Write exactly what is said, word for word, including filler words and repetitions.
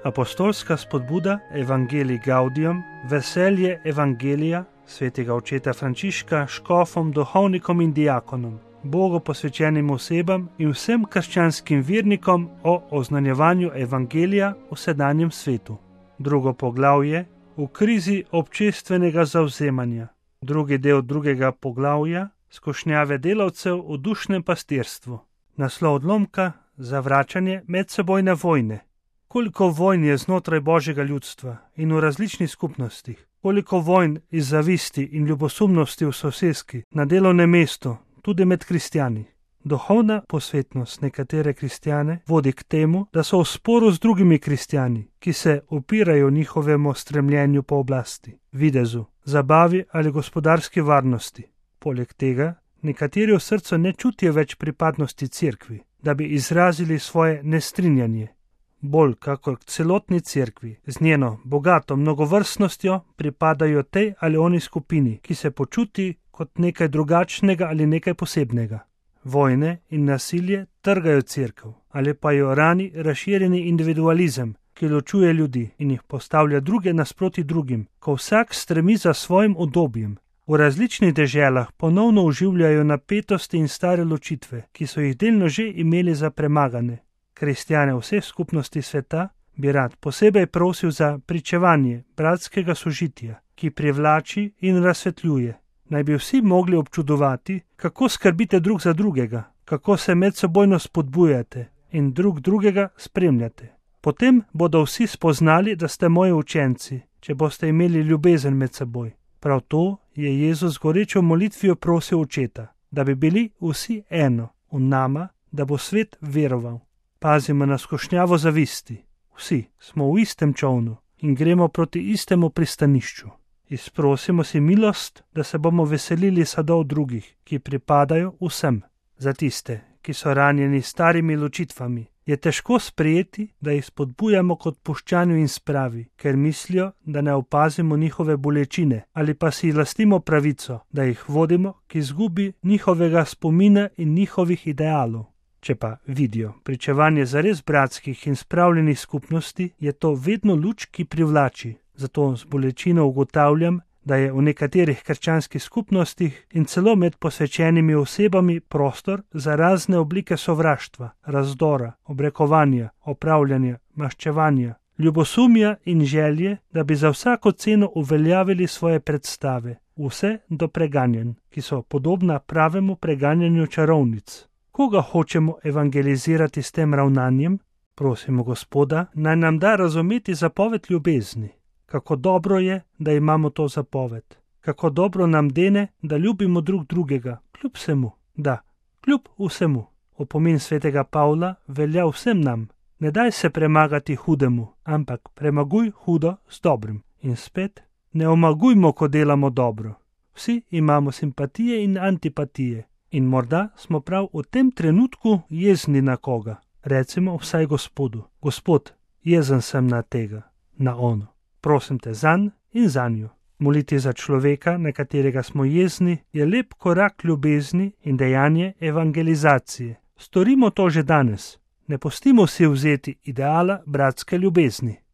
Apostolska spodbuda Evangelii Gaudium, veselje Evangelija svetega očeta Frančiška škofom, duhovnikom in diakonom, Bogu posvečenim osebam in vsem krščanskim vernikom o oznanjevanju Evangelija v sedanjem svetu. Drugo poglavje v krizi občestvenega zavzemanja. Drugi del drugega poglavja skušnjave delavcev v dušnem pastirstvu. Naslov odlomka zavračanje medsebojne vojne. Koliko vojn je znotraj Božjega ljudstva in v različnih skupnostih, koliko vojn iz zavisti in ljubosumnosti v soseski, na delovnem mestu, tudi med kristjani. Duhovna posvetnost nekatere kristjane vodi k temu, da so v sporu z drugimi kristjani, ki se upirajo njihovemu stremljenju po oblasti, videzu, zabavi ali gospodarski varnosti. Poleg tega, nekateri v srcu ne čutijo več pripadnosti cerkvi, da bi izrazili svoje nestrinjanje. Bolj kakor k celotni cerkvi, z njeno bogato mnogovrstnostjo pripadajo tej ali oni skupini, ki se počuti kot nekaj drugačnega ali nekaj posebnega. Vojne in nasilje trgajo cerkev, ali pa jo rani razširjeni individualizem, ki ločuje ljudi in jih postavlja druge nasproti drugim, ko vsak stremi za svojim udobjem. V različnih deželah ponovno oživljajo napetosti in stare ločitve, ki so jih delno že imeli za premagane. Kristjane vseh skupnosti sveta bi rad posebej prosil za pričevanje bratskega sožitja, ki privlači in razsvetljuje. Naj bi vsi mogli občudovati, kako skrbite drug za drugega, kako se medsebojno spodbujate in drug drugega spremljate. Potem bodo vsi spoznali, da ste moji učenci, če boste imeli ljubezen med seboj. Prav to je Jezus gorečo molitvijo prosil Očeta, da bi bili vsi eno v nama, da bo svet veroval. Pazimo na skušnjavo zavisti. Vsi smo v istem čolnu in gremo proti istemu pristanišču. Izprosimo si milost, da se bomo veselili sadov drugih, ki pripadajo vsem. Za tiste, ki so ranjeni starimi ločitvami, je težko sprejeti, da jih spodbujamo k odpuščanju in spravi, ker mislijo, da ne opazimo njihove bolečine ali pa si lastimo pravico, da jih vodimo k izgubi njihovega spomina in njihovih idealov. Če pa vidijo pričevanje zares bratskih in spravljenih skupnosti, je to vedno luč, ki privlači. Zato z bolečino ugotavljam, da je v nekaterih krščanskih skupnostih in celo med posvečenimi osebami prostor za razne oblike sovraštva, razdora, obrekovanja, opravljanja, maščevanja, ljubosumja in želje, da bi za vsako ceno uveljavili svoje predstave, vse do preganjanj, ki so podobna pravemu preganjanju čarovnic. Koga hočemo evangelizirati s tem ravnanjem? Prosimo Gospoda, naj nam da razumeti zapoved ljubezni. Kako dobro je, da imamo to zapoved. Kako dobro nam dene, da ljubimo drug drugega, kljub vsemu. Da, kljub vsemu. Opomin svetega Pavla velja vsem nam. Ne daj se premagati hudemu, ampak premaguj hudo z dobrim. In spet, ne omagujmo, ko delamo dobro. Vsi imamo simpatije in antipatije. In morda smo prav v tem trenutku jezni na koga. Recimo vsaj Gospodu. Gospod, jezen sem na tega, na ono. Prosim te zanj in zanjo. Moliti za človeka, na katerega smo jezni, je lep korak ljubezni in dejanje evangelizacije. Storimo to že danes. Ne pustimo si vzeti ideala bratske ljubezni.